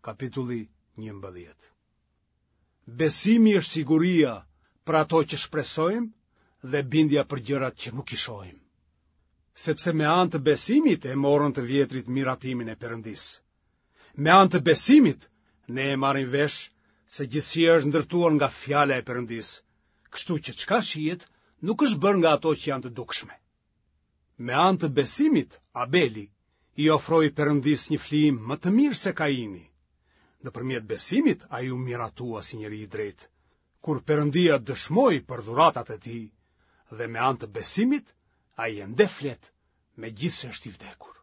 Kapitulli 11. Besimi është siguria për ato që shpresojmë dhe bindja për gjërat që nuk i shohim. Sepse me anë të besimit e morën të vjetrit miratimin e Perëndisë. Me anë të besimit ne e marrim vesh se gjithësia është ndërtuar nga fjala e Perëndisë, kështu që çka shihet nuk është bërë nga ato që janë të dukshme. Me anë të besimit, Abeli i ofroi Perëndisë një flijim më të mirë se Kaini. Nëpërmjet besimit ai u miratua si njeri i drejtë, kur Perëndia dëshmoi për dhuratat e tij, dhe me anë të besimit ai ende flet, megjithëse është i vdekur.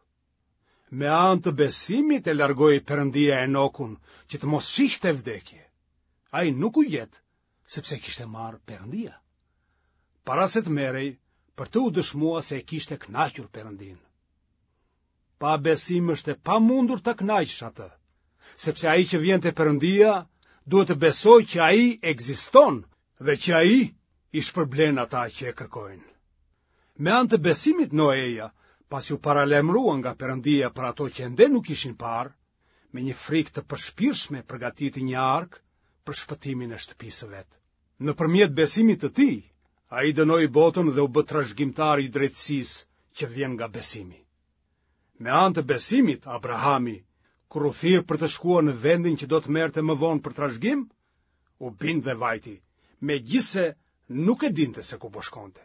Me anë të besimit e largoi Perëndia Enokun që të mos shihte vdekje. Ai nuk u gjet, sepse e kishte marrë Perëndia. Para se të merrej, për të u dëshmua se e kishte kënaqur Perëndinë. Pa besim është e pamundur ta kënaqësh atë, sepse ai që vjen te Perëndia duhet të besojë që ai ekziston dhe që ai i shpërblen ata që e kërkojnë. Me anë të besimit Noeja, pasi u paralajmërua nga Perëndia për ato që ende nuk ishin parë, me një frikë të përshpirtshme përgatiti një arkë për shpëtimin e shtëpisë së vet. Nëpërmjet besimit të tij, ai dënoi botën dhe u bë trashëgimtar i drejtësisë që vjen nga besimi. Me anë të besimit, Abrahami, kur u thirr për të shkuar në vendin që do të merrte më vonë për trashëgim, u bind dhe vajti, megjithëse nuk e dinte se ku po shkonte.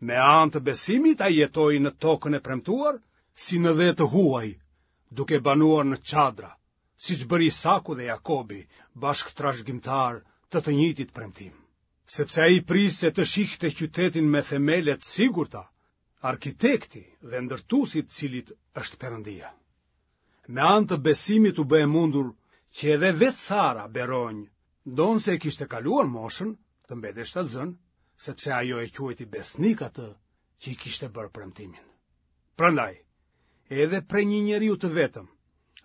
Me anë të besimit ai jetoi në tokën e premtuar si në dhe të huaj, duke banuar në çadra, siç bëri Isaku dhe Jakobi, bashkëtrashëgimtarë të të njëjtit premtim. Sepse ai priste të shihte qytetin me themele të sigurta, arkitekti dhe ndërtuesi i të cilit është Perëndia. Me anë të besimit u bë e mundur që edhe vetë Sara beronjë, ndonëse e kishte kaluar moshën, të mbetej shtatzënë, sepse ajo e quajti besnik atë që i kishte bërë premtimin. Prandaj, edhe prej një njeriu të vetëm,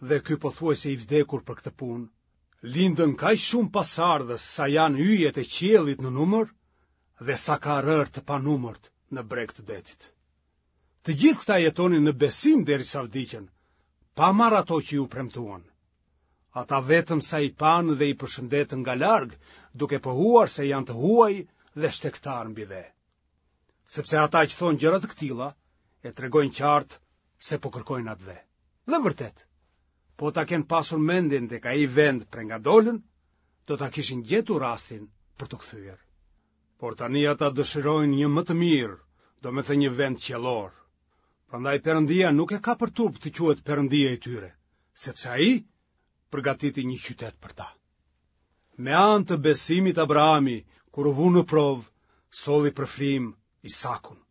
dhe ky pothuajse i vdekur për këtë punë, lindën kaq shumë pasardhës sa janë yjet e qiellit në numër dhe sa ka rërë të panumërt në breg të detit. Të gjithë këta jetonin në besim derisa vdiqën, pa marrë ato që iu premtuan. Ata vetëm sa i panë dhe i përshëndetën nga larg, duke pohuar se janë të huaj dhe shtegtarë mbi dhe. Sepse ata që thonë gjëra të këtilla, e tregojnë qartë se po kërkojnë atdhe. Dhe vërtet, po ta kenë pasur mendjen tek ai vend prej nga dolën, do ta kishin gjetur rastin për t'u kthyer. Por tani ata dëshirojnë një më të mirë, domethënë një vend qiellor. Prandaj Perëndia nuk e ka për turp të quhet Perëndia i tyre, sepse ai përgatiti një qytet për ta. Me anë të besimit Abrahami, kur u vu në provë, solli për flijim Isakun.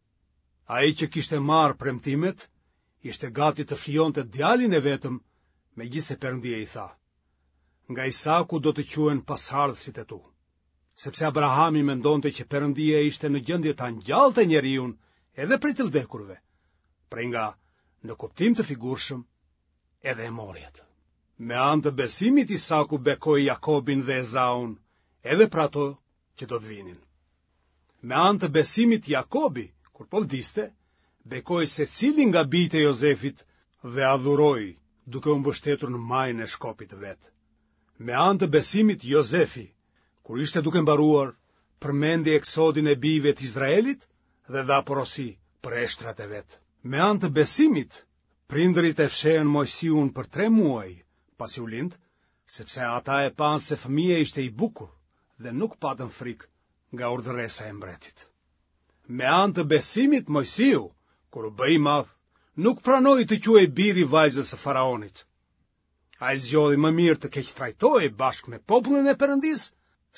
Ai që kishte marrë premtimet, ishte gati të flijonte djalin e vetëm, megjithëse Perëndia i tha: Nga Isaku do të quhen pasardhësit e tu. Sepse Abrahami mendonte që Perëndia ishte në gjendje ta ngjallte njeriun edhe prej të vdekurve, prej nga, në kuptim të figurshëm, edhe e mori atë. Me anë të besimit Isaku bekoi Jakobin dhe Ezaun, edhe për ato që do të vinin. Me anë të besimit Jakobi, kur po vdiste, bekoi secilin nga bijtë e Jozefit dhe adhuroi, duke u mbështetur në majën e shkopit të vet. Me anë të besimit Jozefi, kur ishte duke mbaruar, përmendi eksodin e bijve të Izraelit dhe dha porosi për eshtrat e vet. Me anë të besimit, prindërit e fshehën Moisiun për tre muaj, pasi u lind, sepse ata e panë se fëmija ishte i bukur dhe nuk patën frikë nga urdhëresa e mbretit. Me anë të besimit Moisiu, kur u bë i madh, nuk pranoi të quhej bir i vajzës së faraonit. Ai zgjodhi më mirë të keqtrajtohej bashkë me popullin e Perëndisë,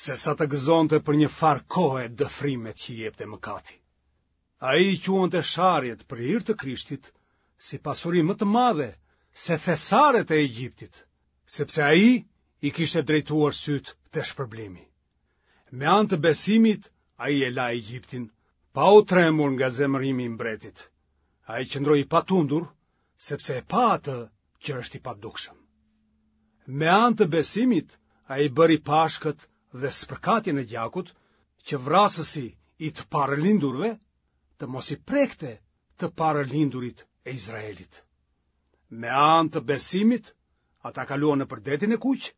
sesa të gëzonte për një farë kohe dëfrimet që jepte mëkati. Ai i quante sharjet për hir të Krishtit si pasuri më të madhe se thesaret e Egjiptit, sepse ai i kishte drejtuar sytë te shpërblimi. Me anë të besimit, ai e la Egjiptin, pa u trembur nga zemërimi i mbretit. Ai qëndroi i patundur, sepse e pa atë që është i padukshëm. Me anë të besimit, ai bëri Pashkët dhe spërkatjen e gjakut, që vrasësi i të parëlindurve të mos i prekte të parëlindurit e Izraelit. Me anë të besimit, Ata kaluan nëpër detin e kuq,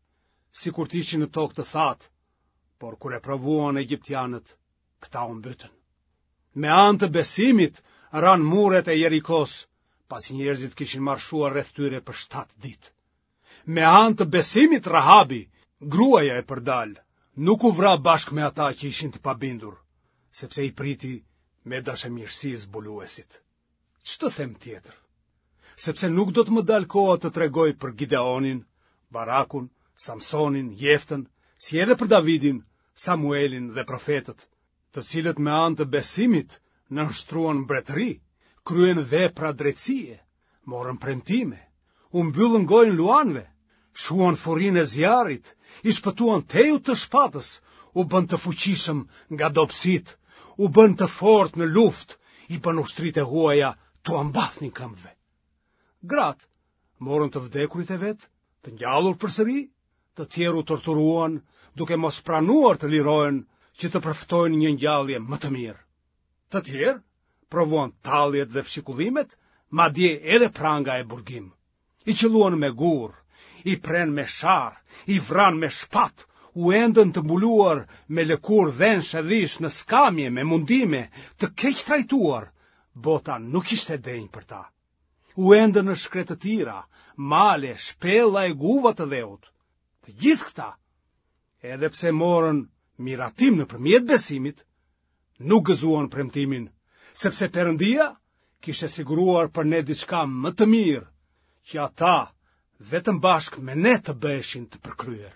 sikur të ishin në tokë të thatë, por kur e provuan egjiptianët, këta u mbytën. Me anë të besimit ranë muret e Jerikos, pasi njerëzit kishin marshuar rreth tyre për 7 ditë. Me anë të besimit Rahabi, gruaja e përdalë, nuk u vra bashkë me ata që ishin të pabindur, sepse i priti me dashamirësi zbuluesit. Ç'të them tjetër? Sepse nuk do të më dalë koha të tregoj për Gideonin, Barakun, Samsonin, Jeftën, si edhe për Davidin, Samuelin dhe profetët, të cilët me anë të besimit nënshtruan mbretëri, kryen vepra drejtësie, morën premtime, u mbyllën gojën luanëve, shuan furinë e zjarrit, i shpëtuan tehut të shpatës, u bënë të fuqishëm nga dobësitë, u bënë të fortë në luftë, i bënë ushtritë e huaja t'ua mbathnin këmbëve. Gratë morën të vdekurit e vet, të ngjallur përsëri, të tjerë u torturuan, duke mos pranuar të lirohen që të përfitojnë një ngjallje më të mirë. Të tjerë provuan talljet dhe fshikullimet, madje edhe pranga e burgim. I qëlluan me gurë, i prenë me sharrë, i vranë me shpatë, u endën të mbuluar me lëkurë dhensh e dhish në skamje me mundime, të keqtrajtuar, bota nuk ishte e denjë për ta. U endën në shkretëtira, male, shpella e guva të dheut. Të gjithë këta, edhe pse morën miratim nëpërmjet besimit, nuk gëzuan premtimin, sepse Perëndia kishte siguruar për ne diçka më të mirë, që ata vetëm bashkë me ne të bëheshin të përkryer.